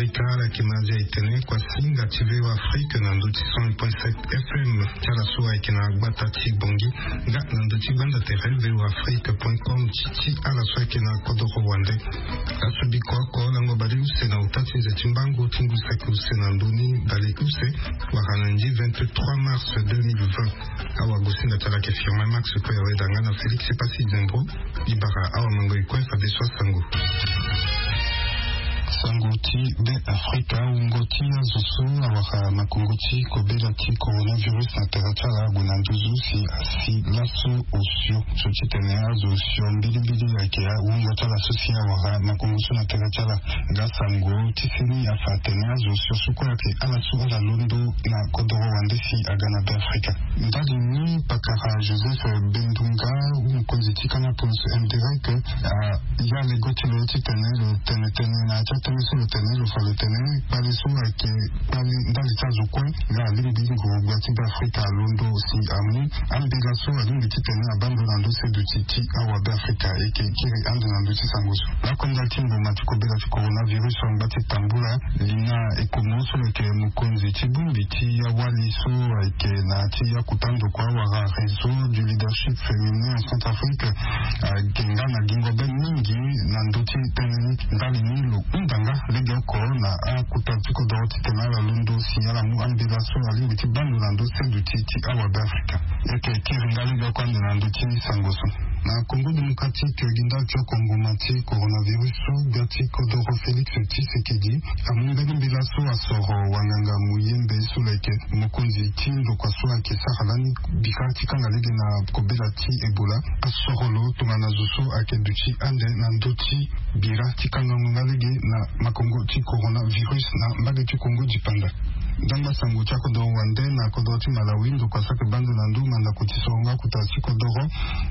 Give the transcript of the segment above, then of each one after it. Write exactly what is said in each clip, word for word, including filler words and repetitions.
Ka ala yeke ma azia etene kua singa ti V O Afrique na ndö ti cent un point sept F M ti ala so ayeke na gbata ti Bangui, nga na ndö ti gbanda tere V O Afrique point com ti ti ala so ayeke na kodoro wande. Aso biko oko lango baleuse na ota ti nze ti mbango ti ngu saki use na ndö ni baleuse wala na ndi vingt-trois mars deux mille vingt. Awagosinga ti ala ayeke Firmin Max Koyaweda nga na Félix Epassi Zembro. Libara awamango e kue fadeso asango. Sango ti Be Afrika. Wungo ti azo so awara makongo ti kobela ti coronavirus na tere ti ala ague na nduzu si asi laso osio. So ti tene azo osio mbilimbili ayeke wungo ti ala so si awara makongo so na tere ti ala. Nga sango ti seni afa atene azo osio so kue ayeke ala so ala londo na kodoro wande si aga na Be Afrika. Ndali ni pakara Joseph Bendunga, mokonzi ti kama poloso M D R E C, a ya lego ti lo ti tene lo tene tene na ya ti atënë so lo tene lo fa lo tene kpale so ayeke kpale ndali ti azo kue nga alingbi nguru gbia ti Be Afrika alondo si amu ambela so alingbi ti tene abaa ndo na ndo se duti ti awa Be Afrika. E yeke kiri ande na ndö ti sango so. Lakonda ti mboma ti kobela ti coronavirus angba ti tambula Lina Ekomo so lo yeke mokonzi ti bongbi ti awali so ayeke na ti akuta ndokua wala réseau du leadership féminin en Centrafrique, ayeke nga na gingo be mingi na ndö ti tënë ni. Ndali ni lo hunda nga lege oko na akuta ti kodoro ti tene ala londo si ala mu ambela so alingbi ti baa ndo na ndö se duti ti awa Be Afrika. E yeke kiri nga lege oko ande na ndö ti sango so. Na Congo Démocratique, gi ndali ti oko mboma ti coronavirus so gbia ti kodoro Félix Tshisekedi amu mbeni mbela so asoro wanganga muyembe so lo yeke mokonzi ti ndokua so ayeke sara lani bika ti kanga lege na kobela ti Ebola. Asoro lo tongana zo so ayeke duti ande na ndö ti bira ti kangango nga lege na makongo ti coronavirus na mbage ti Kongo dipanda. Ndangba sango ti akodoro wande na kodoro ti Malawi, ndokua so ayeke baa ndo na ndö mandako ti soro nga akuta ti kodoro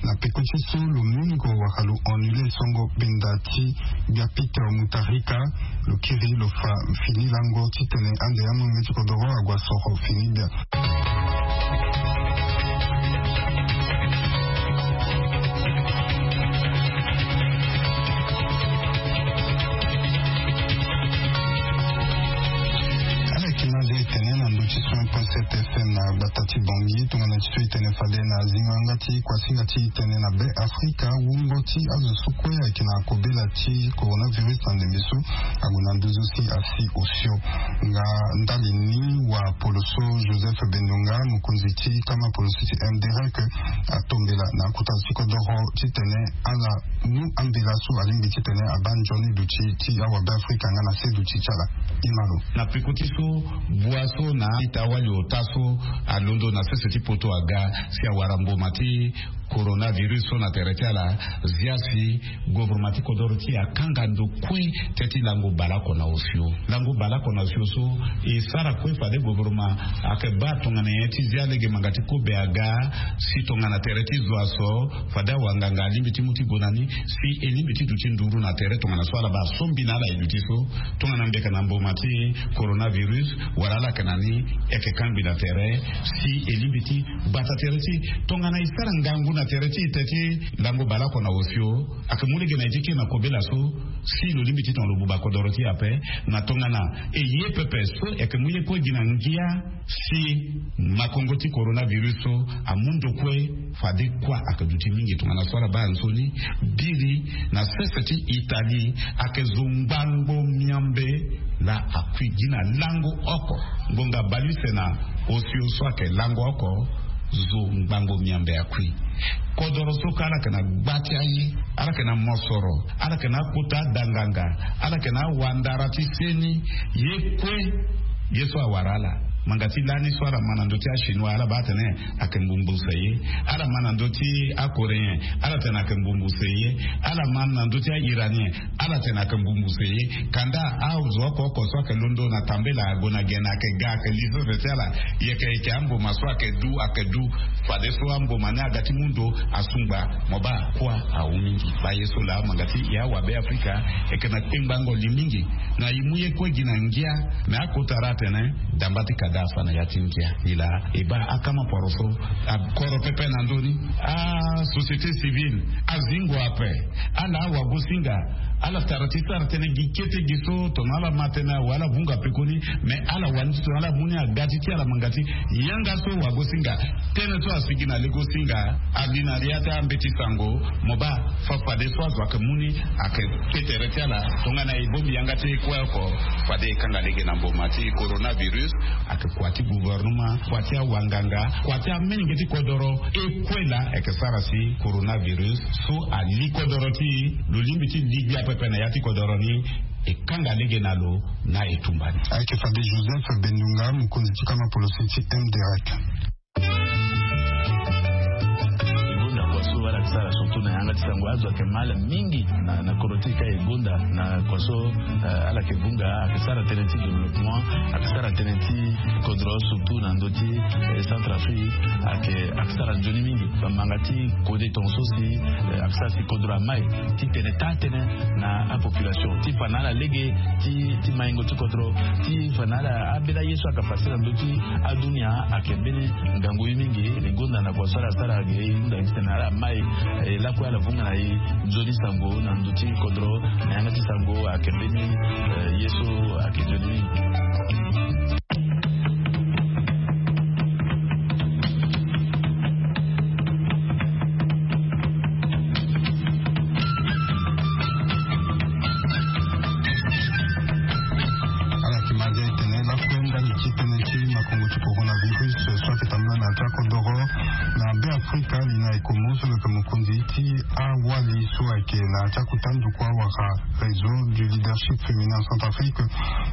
na peko ti so lo mingo wala lo annule songo benda ti gbia Peter Mutharika. Lo kiri lo fa fini lango ti tene ande amolenge ti kodoro ague asoro fini gbia. Ala yeke na azo e tene na ndö ti cent un point sept F M na gbata ti Bangui tongana ti so e tene fade na zingo yanga ti kuasinga ti e tene na Be Afrika. Wungo ti azo so kue ayeke na kobela ti coronavirus na ndembe so ague na nduzu si asi osio. Nga ndali ni wa poloso Joseph Bendunga, mokonzi ti kama poloso ti M D R E C, atombela na akuta ti kodoro ti tene ala mu ambela so alingbi ti tene abaa nzoni duti ti awa Be Afrika nga na se duti ti ala. Imalo. Na peko ti so bua so na ita-wali ota so alondo na sese ti poto aga si awara mboma ti coronavirus so na tere ti ala, zia si gouvernement ti kodoro ti e akanga ndo kue teti lango baleoko na osio. Lango baleoko na osio so e sara kue fade gouvernement ayeke baa tongana nyen ti zia lege manga ti kobe aga si tongana tere ti zo aso fade awanganga alingbi ti mu ti gue na ni si e lingbi ti duti nduru na tere tongana so ala baa so mbi na ala e duti so. Tongana mbeka na mboma ti coronavirus wala ala yeke na ni e yeke kangbi na tere si e lingbi ti bata tere ti e. Tongana e sara ngangu na tere ti e teti lango baleoko na osio, ayeke mu lege na e ti kiri na kobela so si lo lingbi ti tongana lo buba kodoro ti e ape. Na tongana e ye pepe so e yeke mu ye kue gi na ngia si makongo ti coronavirus so amu ndo kue. Fade kuâ ayeke duti mingi tongana so ala baa nzoni. Biri na sese ti Italie ayeke zo ngbangbo miambe laa akui gi na lango oko. Ngonga baleuse na osio so ayeke lango oko. Zo ngbangbo miambe akui. Kodoro so kue ala yeke na gba ti aye, ala yeke na mosoro, ala yeke na akota danganga, ala yeke na awandara ti seni. Ye kue ye so awara ala. Manga ti lani so ala ma na ndö ti achinois ala baa atene ayeke mbumbuse ye. Ala ma na ndö ti acoréen ala tene ayeke mbumbuse ye. Ala ma na ndö ti airanien ala tene ayeke mbumbuse ye. Kanda azo oko oko so ayeke londo na tambela ague na gene ayeke ga ayeke li sese ti ala. Yeke yeke amboma so ayeke du ayeke du. Fadeso amboma ni aga ti mu ndo asungba. Mo baa kuâ awu mingi. Baa ye so laa manga ti e awabe afrika e yeke na kpengbango li mingi. Na e mu ye kue gi na ngia. Me akota ra atene damba ti kada afa na ya ti ngia. E laa e baa akama poroso akoro pepe na ndö ni. Asociété civile azingo ape. Ala awagosinga Ala tara ti sara tënë gi kete gi so tongana ala ma tënë awe ala vunga pekoni. Mais ala wani ti tongana ala mu ni aga ti ti ala manga ti yanga so wagosinga tënë so asigi na legosinga. Abi na ria ti ambeti sango mo baa fa fade so azo ayeke mu ni ayeke ke tere ti ala. Tongana e bongbi yanga ti e kue oko fade e kanga lege na mboma ti coronavirus. Ayeke kua ti gouvernement, kua ti awanganga, kua ti amenge ti kodoro. E kue laa ayeke sara si coronavirus so ali kodoro ti e. Lo lingbi ti li gbia pepe na ya ti kodoro ni. E kanga lege na lo na e tumba ni. Ayeke fade Joseph Bendunga, mokonzi ti kama polosi ti M D R E C. E gonda kua so ala yeke sara surtout na yanga ti sango azo ayeke mal mingi na, na kodro ti e ka e gonda na kua so. Eh, ala yeke vunga ayeke sara tënë ti développement, ayeke sara tënë ti kodro surtout na ndö ti, eh, Centrafrique. Ayeke, ayeke sara nzoni mingi bamanga ti kode tonga so si, eh, ayeke sara si kodro amai ti tene taa tënë na apopulation ti fa na ala lege ti, ti maingo ti kodro ti fa na ala ambeni aye so ayeke pase na ndö ti adunia. Ayeke mbeni ngangu ye mingi. E gonda na kua so ala sara ge e hunda gi titene ala mai, eh, lakue ala vunga na e nzoni sango na ndö ti kodro. Na yanga ti sango ayeke mbeni, eh, ye so ayeke nzoni mingi. Ala yeke ma nde tene lakue ndali ti tënë ti makongo ti coronavirus so ayeke tambula na ya ti akodoro na be Afrika. Li na e komo so lo yeke mokonzi ti awali so ayeke na ya ti akota nduku awara réseau du leadership féminin en Centrafrique.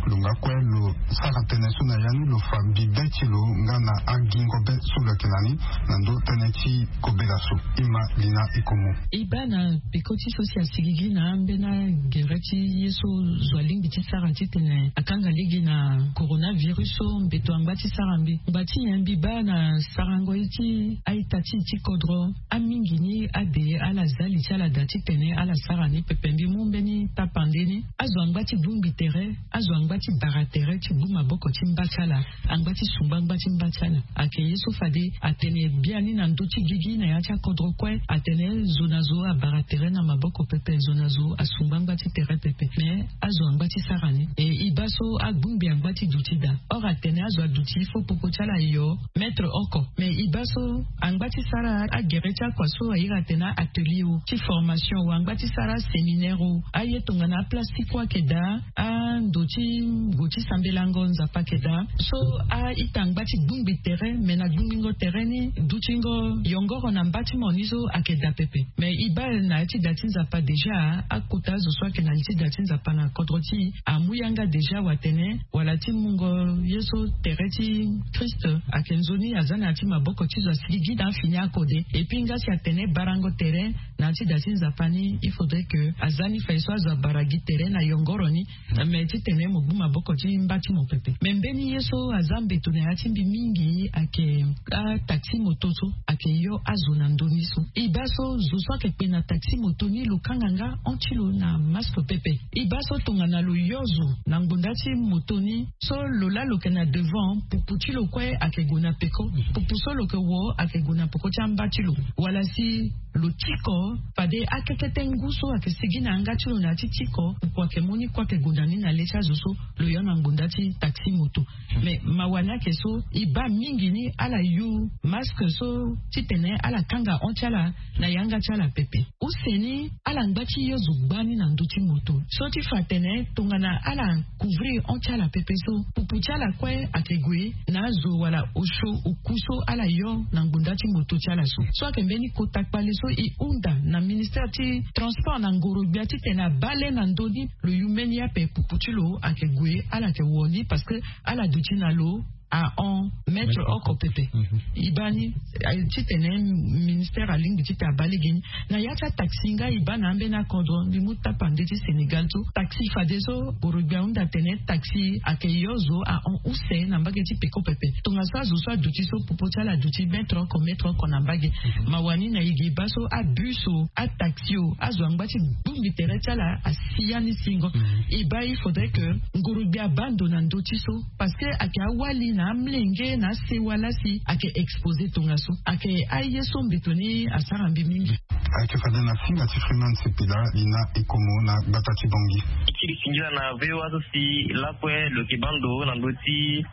Lo nga kue lo sara tënë so na ya ni lo fa bibe ti lo nga na agingo be so lo yeke na ni na ndö tënë ti kobela so. E ma li na e komo. E baa na peko ti so si asigigi na ambeni agere ti ye so zo alingbi ti sara titene akanga lege na coronavirus so mbeto angba ti sara mbi. Ngba ti nyen mbi baa na sarango ye ti a-ita ti e ti kodro. Amingi ni ade ala za li ti ala daa titene ala sara ni pepe. Mbi mu mbeni tapande ni. Azo angba ti bongbi tere, azo angba ti bara tere ti gbu maboko ti mba ti ala, angba ti sungba ngba ti mba ti ala. Ayeke ye so fade atene biani na ndö ti gigi na ya ti akodro kue atene zo na zo abara tere na maboko pepe, zo na zo asungba ngba ti tere pepe. Mais azo angba ti sara ni. E, e baa so agbongbi angba ti duti daa. Or atene azo aduti il faut popo ti ala ayo mètre oko. Mais e baa so angba ti sara agere ti akua so a iri atene atelier o ti formation o, angba ti sara séminaire o, aye tongana aplastique kue ayeke daa, ando ti ngu ti sambelango Nzapa ayeke daa. So a-ita angba ti gbongbi tere, me na gbongbingo tere ni dutingo yongoro na mba ti mo ni so ayeke daa pepe. Me e baa na ya ti da ti Nzapa déjà akota azo so ayeke na li ti da ti Nzapa na kodro ti e amu yanga déjà watene wala ti mungo ye so tere ti Christ ayeke nzoni aza na ya ti maboko ti zo asigi gi na afini akode. Et puis nga si atene barango tere na ya ti da ti Nzapa ni, il faudrait que aza ni faye so azo abara gi tere na yongoro ni. Me titene mo gbu maboko ti mba ti mo pepe. Me mbeni ye so aza mbeto na ya ti mbi mingi ayeke ataxi moto so ayeke yo azo na ndö ni so. E baa so zo so ayeke kpe na taxi moto ni lo kanga nga hon ti lo na masque pepe. E baa so tongana lo yo zo na ngbonda ti moto ni so lo laa lo yeke na devant, pupu ti lo kue ayeke gue na peko. Pupu so lo yeke wo ayeke gue na peko ti amba ti lo. Wala si lo tiko, fade akekete ngu so ayeke sigi na yanga ti lo na ya ti tiko, kua ayeke mu ni kue ayeke gue na ni na le ti azo so lo yo na ngbonda ti taxi moto. Me mawa ni ayeke so e baa mingi ni ala yu masque so titene ala kanga hon ti ala na yanga ti ala pepe. Use ni ala ngba ti yo zo gbani na ndö ti moto so ti fa atene tongana ala couvrir hon ti ala pepe so, pupu ti ala kue ayeke gue na azo wala osio oku so ala yo na ngbonda ti moto ti ala so. So ayeke mbeni kota kpale so e hunda na ministère ti transport na ngoro-gbia titene abaa le na ndö ni lo yu mbeni ape pupu ti lo ayeke gue, ala yeke wo ni parce que ala duti na lo ahon mètre oko pepe. E baa ni, eh, titene ministère alingbi titene abaa lege ni. Na ya ti ataxi nga e baa na ambeni akodro, mbi mu tapande ti Sénégal so taxi fadeso ngoro-gbia ahunda atene taxi ayeke yo zo ahon use na mbage ti peko pepe. Tongaso azo so aduti so pupu ti ala aduti mètre oko mètre oko na mbage. Mawa ni na e ge e baa so abus o, ataxi o, azo angba ti gbongbi tere ti ala asi ya ni singo. E baa il faudrait que ngoro-gbia abaa ndo na ndö ti so parce que ayeke awali na amlenge na asewa lasi ayeke expose tongaso. Ayeke aye so mbeto ni asara mbi mingi. Ayeke fade na finga ti Freeman Sepila li na ekomo na gbata ti Bangui. Ti li singila na V O A so si lakue lo yeke baa ndo na ndö ti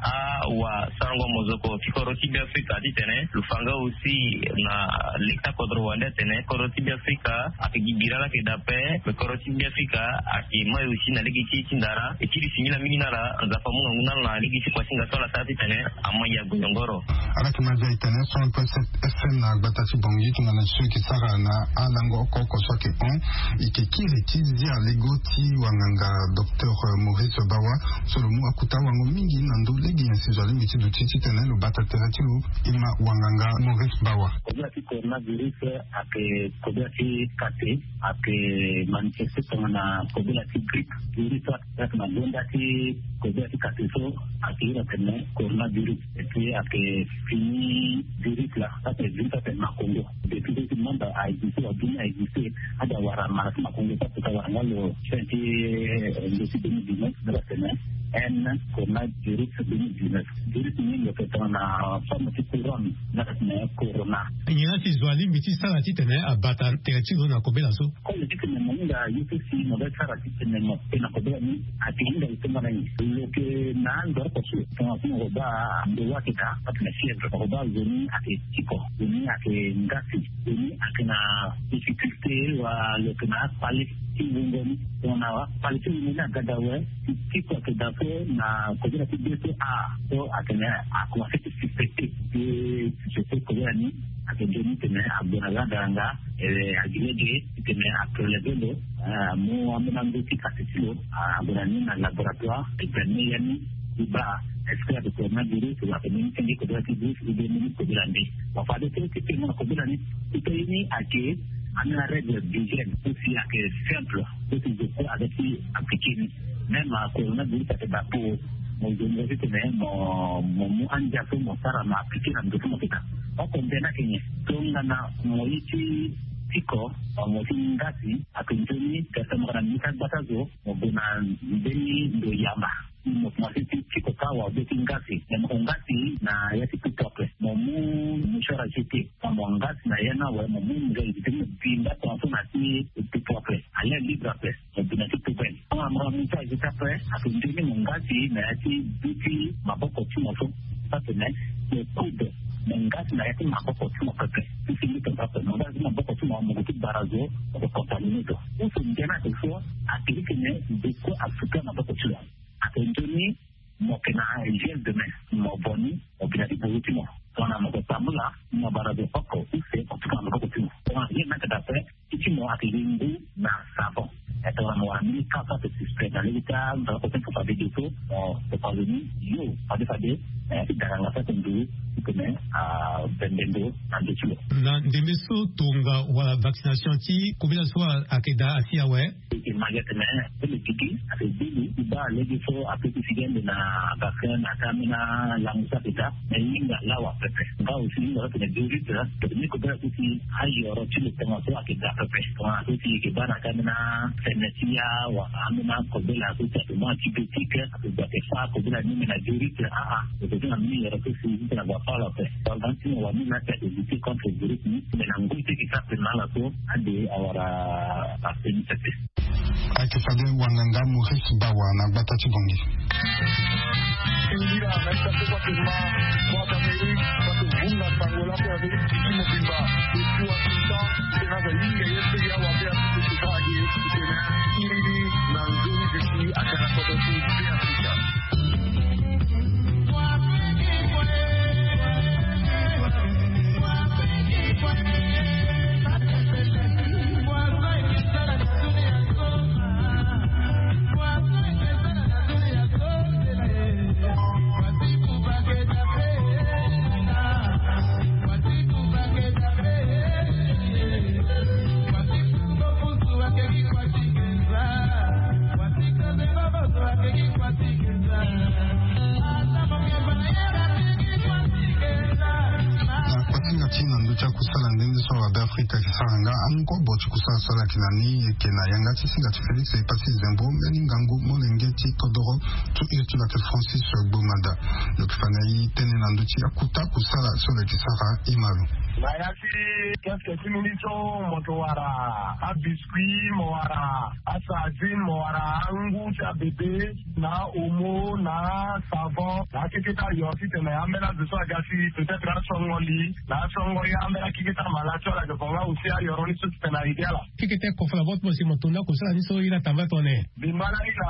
awasarango mozoko ti kodro ti Beafrika titene lo fa nga aussi na lege ti akodro wande atene kodro ti Beafrika ayeke gi bira laa ayeke daa ape. Me kodro ti Beafrika ayeke mai aussi na lege ti e ti ndara. E ti li singila mingi na ala. Nzapa amu ngangu na ala na lege ti kuasinga so ala sara titene ama ya goyongoro. Ala yeke ma zia e tene so un point sept F M na gbata ti Bangui tongana so e yeke sara na alango oko oko so ayeke hon. E yeke kiri ti zia lego ti wanganga docteur Maurice Bawa so lo mu akuta wango mingi na ndö lege nyen si zo alingbi ti duti titene lo bata tere ti lo. E ma wanganga Maurice Bawa. Kobela ti coronavirus ayeke kobela ti kate. Ayeke manifeste tongana kobela ti grippe. Virus so ayeke na gonda ti kobela ti kate so ayeke iri atene coronavirus. Et puis ayeke fini virus laa so ayeke virus so ayeke makongo. Depuis so si monde aexiste wala dunia aexiste, ade awara mala ti makongo so akota wara nga lo fin ti, eh, ndo ti deux mille dix-neuf, nga atene N coronavirus deux mille dix-neuf. Virus ni lo yeke tongana forme ti couronne nga atene corona. Nyen la si zo alingbi ti sara titene abata tere ti lo na kobela so? Kolo ti tene mo hinga ye so si mo be sara titene mo pe na kobela ni, ayeke hinga lo tongana nyen? Lo yeke na ando oko so tongana so mo ko baa ndo wa ayeke daa, atene fièvre, mo ko baa zo ni ayeke tiko, zo ni ayeke ngasi, zo ni ayeke na difficulté wala lo yeke na akpale ti wungo ni. Tongana akpale ti wungo ni aga daa awe, ti tiko ayeke daa so na kobela ti be so a so atene akomanse ti suspecté. Ti suspecté kobela ni ayeke nzoni tene ague na yanga daranga. Eh, agi lege titene apreleve lo, eh, amu ambeni ando ti kati ti lo, ah, ague na ni na laboratoire, examine ya ni ti baa est-ce que ayeke coronavirus wala ayeke mbeni senge kobela ti virus ou bien mbeni kobela nde. Bon, fade so ti tene na kobela ni, ti pe ye ni ayeke ambeni arègle d'hygiène so si ayeke simple. Ti zo kue aga ti appliqué ni. Même coronavirus ayeke daa po mo zo ni titene mo, mo mu andia so mo sara mo appliqué na ndo so mo yeke daa. Oko nde ni ayeke nyen? Tongana mo ye ti tiko, mo ti ngasi, ayeke nzoni tene mo yeke na mbi ti agbata zo, mo gue na mbeni ndo yamba. Mo komanse ti tiko kâ wala be ti ngasi, me mo ko ngasi na ya ti pupu ape. Mo mu mouchoir à jeter. Mo ngasi na ya ni awe, mo mu nzoni ti mo bi nda tongaso na ti pupu ape. A l'air libre ape. Mo bi na ti poubelle. Tongana mo na mouchoir à jeter ape, ayeke nzoni mo ngasi na ya ti bi ti maboko ti mo so. Atene mo coude, mo ngasi na ya ti maboko ti mo pepe. Ti fini tongaso ape, mo ngasi ti maboko ti mo, mo gue ti bara zo, mo ko contaminé zo. Use nde ni ayeke so, ayeke titene zo kue asuka maboko ti lo. Ayeke nzoni mo yeke na gel de main, mo bo ni, mo bi na ti buru ti mo. Tongana mo yeke tambula, mo bara zo oko use, mo tuka na maboko ti mo. Tongana gel ni ayeke daa ape, ti ti mo ayeke gi ngu na savon. E tongana mo wara mbeni ka so ayeke suspect na lege ti anzara oko ti mo fade ge so, mo topa zo ni yo fade fade, eh, ti daranga so ayeke nduru titene abembe ndo na ndo ti lo. Na ndembe so tonga wala vaccination ti kobela so ayeke daa asi awe. E yeke ma gi atene, eh, tene gigi ayeke gbili ti baa lege so ape ti figi ande na vaccin na ata ambeni alango so ayeke daa. Me hinga lawa pepe. Nga aussi hinga so atene virus, tene ni kobela so si ayoro ti lo tongaso ayeke daa pepe. Tongana so si e yeke baa na ata ambeni afene ti ya wala ambeni akobela so si ayeke mu antibiotique, ayeke gue ayeke fâ kobela ni me na virus, ah ah. E yeke zi na mbeni yoro so si titene ague afâ lo ape. Tongana ti mo wani laa si ayeke lutter contre virus ni, me na ngoi ti e yeke sara tene na ala so ade awara ape ni pepe. Ayeke fade wanganga Maurice Bawa na gbata ti Bangui. Angu kobo ti kusala so ala yeke na ni, e yeke na yanga ti singa ti Félix Epassi Zembo, mbeni ngangu molenge ti kodoro, so iri ti lo ayeke Francis Gbomada. Lo yeke fa na e tënë na ndö ti akuta kusala so lo yeke sara. E ma lo. Na ya ti kiosque ti mbi ni so, mo yeke wara abiscuit, mo wara asardine, mo wara angu ti abebe, na omo, na savon, na akeketa ayoro titene ambeni azo so aga ti peut-être asongo li, na asongo ye ambeni akeketa malade so ala yeke fa nga aussi ayoro ni so titene a aidé ala. Keketa kofo na bot mo si mo tonda kusala ni so ye na tamba tongana nyen? Mbi ma lani na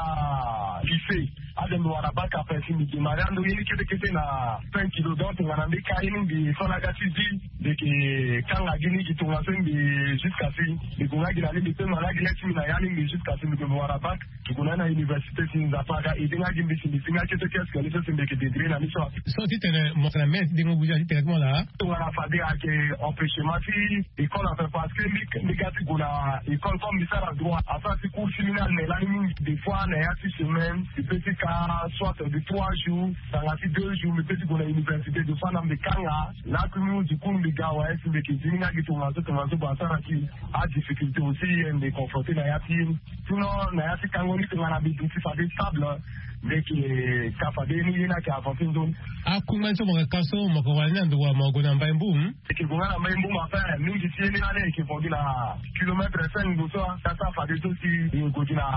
lycée. Ade mbi wara bac ape si mbi démarrer ando ye ni kete kete na cinq kilos. Donc tongana mbi ka ye ni mbi so na aga ti vie, mbi yeke kanga gi ni gi tongaso mbi jusqu'à si mbi gue nga gi na ni mbi pe ma na gi le ti mbi na ya ni mbi jusqu'à si mbi gue mbi wara bac. Mbi gue na ni na université si Nzapa aga aidé nga gi mbi si mbi si nga kete kiosque ni so si mbi yeke débrouiller na ni so. So titene mo yeke na mene ti dengo buzi ati tene ti mo laa? Tongana fade ayeke empêchement ti école ape parce que mbi, mbi ga ti gue na école comme mbi sara droit. Asara ti cours ti mbi ni ane lani mingi. Des fois na ya ti semaine mbi pe ti ka soit de trois jours, tanga ti deux jours mbi pe ti gue na université. Des fois na mbi kanga lakui mu du coup mbi ga awe si mbi yeke zi ni nga gi tongaso tongaso. Bon asara ti adifficulté aussi ye mbi confronté na ya ti ye ni. Sinon na ya ti kango ni tongana mbi duti fade stable, mbi yeke ka fade ye ni ye ni ayeke avancé nzoni. Akungba ni so mo yeke ka so mo yeke wara ni na ndo wa mo gue na Mbai Mboum? Eke gue nga na Mbai Mboum ape. Mingi ti ye ni lani eke vo gi na kilomètre cinq ndo so. Asa fade so si e gue gi na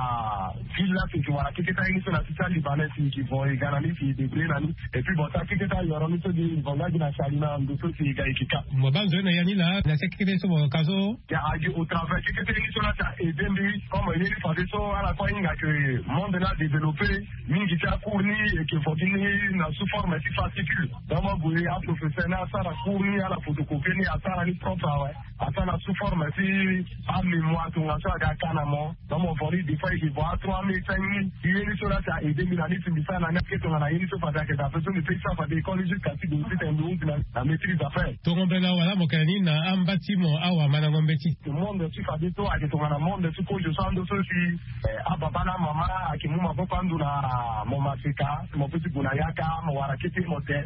ville la si eke wara keketa ye ni so na sisa libanais si eke vo e ga na ni si e débrouiller na ni. Et puis bon sa keketa ayoro ni so gi e vo nga gi na sali na ndo so si e ga eke ka. Mo baa nzoni na ya ni laa na sisa keketa ye so mo ka so? Ya agi au travers keketa ye ni so la si a aidé mbi. Comme ye ni fade so ala kue ahinga ke monde ni adéveloppé. Mingi ti acours ni eke vo gi ni na sous forme ti fascicule. Donc mo gue aprofesseur ni asara cours ni ala photocopier ni asara ni propre awe. Asara na sous forme ti amémoire tongaso aga ka na mo. Donc mo vo ni des fois eke vo a trois mille cinq mille. Ye ni so la si a aidé mbi na ni si mbi sara na ni ake tongana ye ni so fade ayeke daa ape so mbi pe ti sara fade école ni jusqu'à si gue titene mbi hunzi na maîtrise ape. Tongo mbela wala mo yeke na ni na amba ti mo awamandango mbeti? Monde ti fade so ayeke tongana monde ti kozo so ando so si Eh, ababa na amama ayeke mu maboko ando na mo maseka mo pe ti gue na yaka mo wara kete mo te.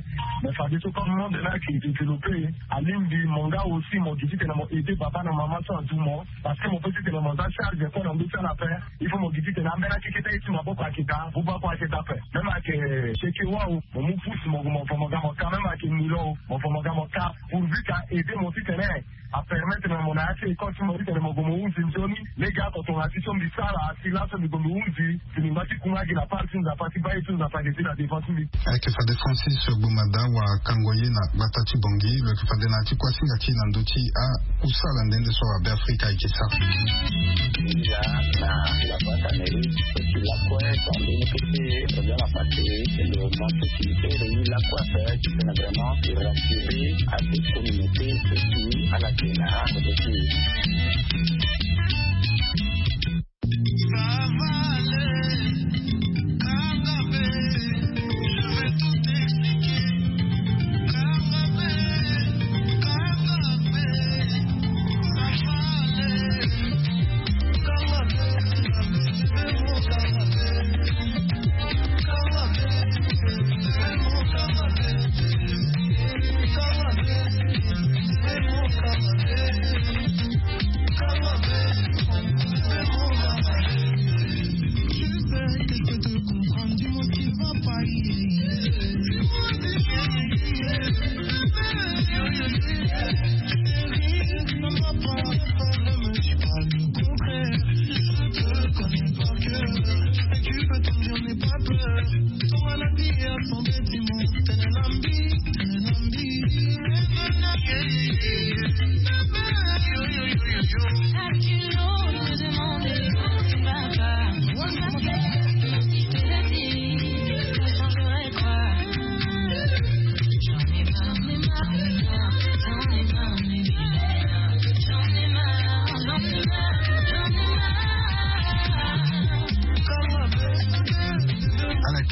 Mais fadeso comme monde ni ayeke développé, alingbi mo nga aussi mo gi titene mo aidé baba na mama so azu mo. Parce que mo pe titene mo za charge kue na ndö ti ala ape. Il faut mo gi titene ambeni akeketa ye ti maboko ayeke daa, buba kue ayeke daa ape. Même ayeke seke wau, mo mu pousse mo gue mo vo mo ga mo ka, même ayeke milo mo vo mo ga mo ka. Pourvu ka aidé mo titene a permettre na mo na ya ti école ti mo titene mo gue mo hunzi nzoni. Lege oko tongana ti so mbi sara si laso mbi gue mbi hunzi si mbi ngba ti kunga gi na part ti Nzapa ti baa ye so Nzapa ayeke zi na devant ti mbi. Ayeke fade Francis Gbomada wara kango ye na gbata ti Bangui. Lo yeke fade na ya ti kuâ singa ti e na ndö ti akusala nde nde so aBeafrika ayeke sara. Déjà na la boîte à mairie, et puis la quoi, quand on est petit, on vient la passer, et le monde qui fait le la quoi, c'est vraiment rassurer à toute communauté et puis à la Kenya aussi.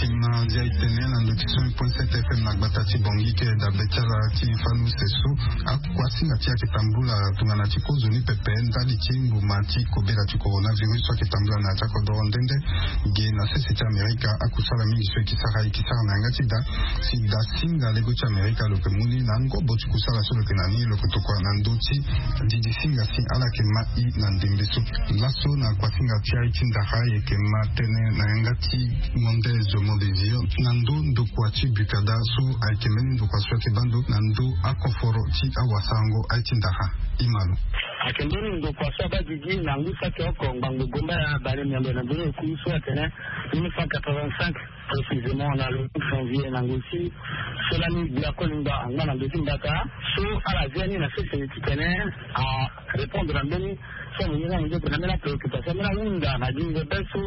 Ema dia itene na ndo ti cent point sept F M na gbata ti Bangui ke dabe ti ala ti fanu seso. Akuasinga ti ayeke tambula tongana ti kozo ni pepe ndali ti ngbuma ti kobela ti coronavirus so ayeke tambula na ya ti akodoro nde nde. Ge na sese ti Amerika, akusala mingi so e ke sara e ke sara na yanga ti da. Si dasinga lego ti Amerika lo ke mu ni na ngobo ti kusala so lo ke na ni, lo ke tokua na ndö ti didisinga si ala yeke ma i na ndembe so. Laso na kuasinga ti aye ti ndara e yeke ma tënë na yanga ti Mondes Mondésir na ndö ndokua ti Bukada so ayeke mbeni ndokua so ayeke baa ndo na ndö akoforo ti awasarango aye ti ndara. Imalo. Ayeke mbeni ndokua so abaa gigi na ngu saki oko ngbangbo gomba ya bale miambe na mbeni oku so atene mille neuf cent quatre-vingt-cinq, précisément na le cinq janvier na ngoi ti so lani gbia kolingba angba na ndö ti mbata. So ala zia ni na sese ti tene a répondre na mbeni so mo yena mo ndoto na mbeni apréoccupation mbeni ahunda na gingo be so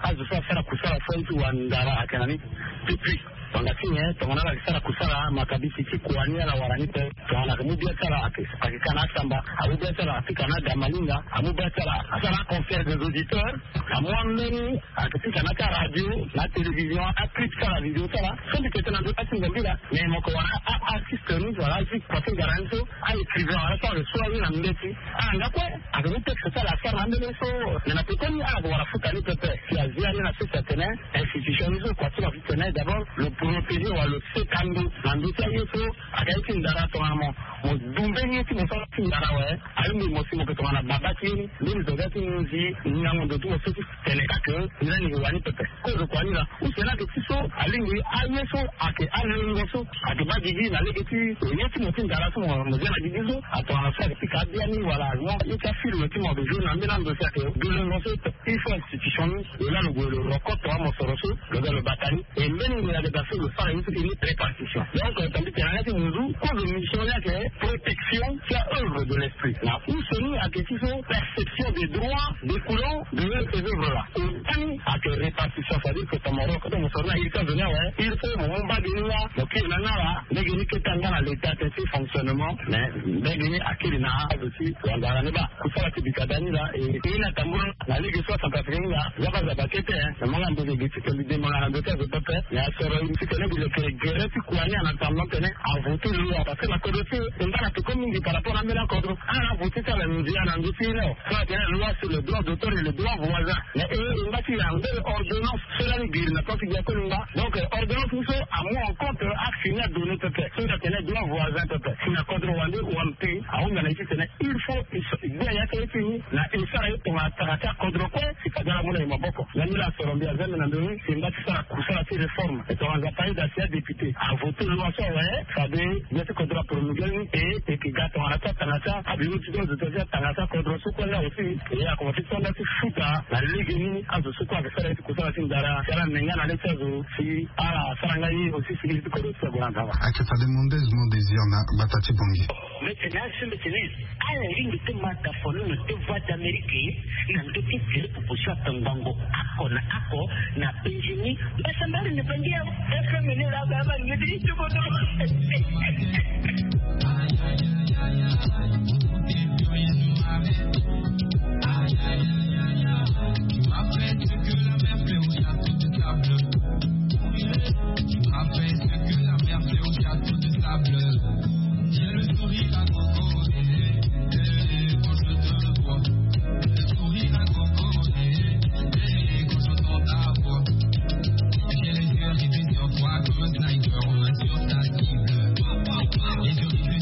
azo so asara kusala so aye ti wandara ayeke na ni. Depuis wanga ti nyen tongana ala yeke sara kusala makabisi ti kua ni ala wara ni pe. Tongana ayeke mu bia ti ala ayeke ka na asamba, amu bia ti ala apika na adamalinga, amu bia ti ala asara aconseil des auditeurs. Amu ambeni ayeke pika na ti aradio na atélévision aclip ti ala video ti ala so mbi yeke tene na ndo ti asi nzambi laa. Mais mo yeke wara aartiste ni wala azi kua ti ngara ni so aécrivain wala so ayeke so aye na mbeti. Ala nga kue ayeke mu texte ti ala asara na ambeni so. Mais na pekoni ala yeke wara futa ni pepe si azia ni na sese atene institution ni so kua ti lo afi tene d'abord lo protéger wala lo seka ndo na ndö ti aye so. Ayeke aye ti ndara tongana mo mo du mbeni ye ti mo so ti ndara awe. Alingbi mo si mo yeke tongana baba ti ye ni mbeni zo ga ti nginzi ngango ndo ti mo so ti tene ka ke ni lani yeke wani pepe. Kozo kua ni laa use ni ayeke ti so alingbi aye so ayeke alengo so ayeke baa gigi na lege ti ye ti mo ti ndara so mo zia na gigi so. Atongana so ayeke pika abiani wala azo ye ti afilme ti mo ayeke joue na ambeni ando si ayeke du lengo so. Il faut institution ni lo laa lo gue lo roko tonga mosoro so lo ga lo bata ni. E mbeni ngbonga ayeke daa so lo sara ye so e ni préparation. Donc tandis que na ya ti munzu kozo mission ni ayeke protection ti aœuvre de l'esprit na use ni ayeke ti so perception des droits découlant de ces œuvres là. Otani ayeke répartition c'est-à-dire que tongana mo roko tonga mosoro ni aye ti azo ni awe il faut mo mu mbage ni nga mo kiri na nga laa. Lege ni kete anga na l'état ti fonctionnement mais mbage ni akiri na azo ti wandara ni baa. Kusala ti bika da ni laa e e na tambula na lege so acentrafricain ni laa. Zaba zaba kete na manga mbozo gi ti toli de manga na ndo ti azo pepe. Mais asoro ti tene gi lekere gere ti kua ni ana tambula tene avote loi parce que na kodro ti e e mba na peko mingi par rapport na ambeni akodro. Ala avote ti ala ndia na ndo ti e ni awe so atene loi sur le droit d'auteur et le droit voisin. Mais e e mba ti ya mbele ordonnance so lani giri na plan ti gbia koli mba. Donc ordonnance ni so amu en compte aksi ni adonné pepe so atene droit voisin pepe si na kodro wande wampe. Ahunda na ye ti tene il faut gbia ya ti aye ti ni na e sara ye tongana tara ti akodro kue si fade ala mu na e maboko. Lani la asoro mbi azia mbi na ndoni si mba ti sara kusala ti réforme e tongana nzapa aye daa si adéputé avoté loi so awe fade gbia ti kodro apromulgué ni e e ke ga tongana ti atanga ti abiro ti autorité ti atanga ti akodro so kue nga aussi. E akomanse ti tonda ti futa na lege ni azo so kue ayeke sara ye ti kusala ti ndara si ala me nga na le ti azo si ala sara nga ye aussi si iri ti kodro ti ague na nzapa. Ayeke fade Mondes Mondésir na gbata ti Bangui. Mbeti na azo mbeti na ala lingbi ti ma tafono na deux voix d'Amérique na ndö ti tele popo so atongbango oko na oko na penzi ni. Mbasambari na bangi ya F M ni la ba ba ni ti kodo. Tu m'as fait ce que la mer fait au château de sable. Tu m'as fait ce que la mer fait au château de sable. J'ai le sourire à gogo, eh, eh, eh, quand je te vois. Le sourire à gogo, eh, eh, eh, quand j'entends ta voix. J'ai les yeux rivés sur toi comme un sniper, on a sur ta cible. Les yeux rivés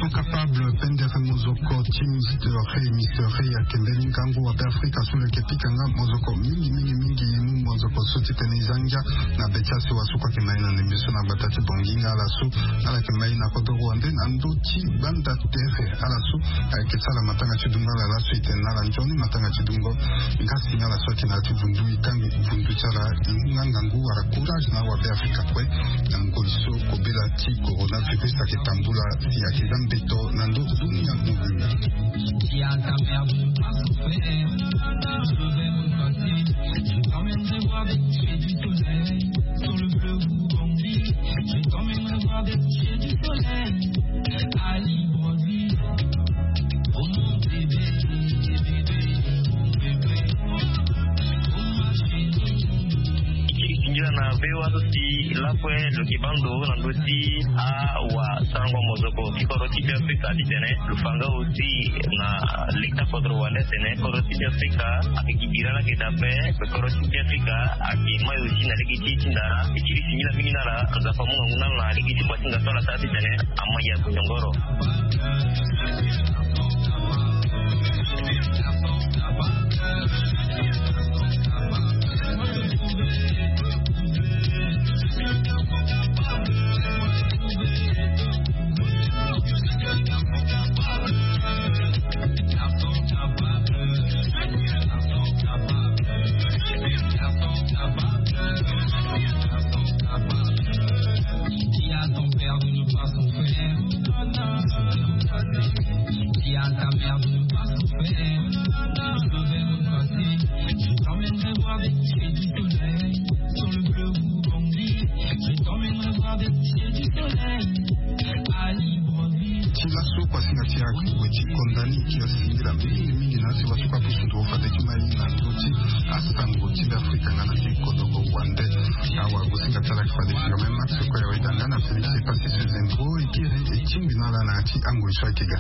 Capable pendere mozoko ti Mister Rey. Mister Rey ayeke mbeni ngangu wa Beafrika so lo yeke pika nga mozoko mingi mingi mingi. Mu mozoko so ti tene e za ngia na be ti asewa so kue ayeke ma e na ndembe so na gbata ti Bangui nga ala so ala yeke ma e na kodoro wande na ndö ti gbanda tere. Ala so ayeke sara matanga ti dungo ala laso e tene na ala nzoni matanga ti dungo. Nga si nga ala so ayeke na ya ti vundu e tangi vundu ti ala. E mu nga ngangu wala courage na awa Beafrika kue na ngoi so kobela ti coronavirus ayeke tambula si ayeke za mbeto na ndö ti dunia mobimba. Singila na V O A so si lakue lo yeke bando na ndö ti awasarango mozoko ti kodro ti Beafrika titene lo fa nga aussi na leta kodro wande atene kodro ti Beafrika ayeke gi bira laa ayeke daa ape. Kodro ti Beafrika ayeke mai aussi na lege ti e ti ndara. E kiri singila mingi na ala. Nzapa amu ngangu na ala na lege ti ngbasinga so ala sara titene ama ya kutongoro. Ti laso kua singa ti akui kue ti kondani ti asingila mingi mingi na asi wasu kua pusu ndo fade ti mai na ndö ti asango ti Beafrika nga na ti kodoro wande. Awa gosinga ti ala yeke fade finga mai max kue awe danga na Félix Epassis Zengo e kiri e tingbi na ala na ya ti angoi so ayeke ga.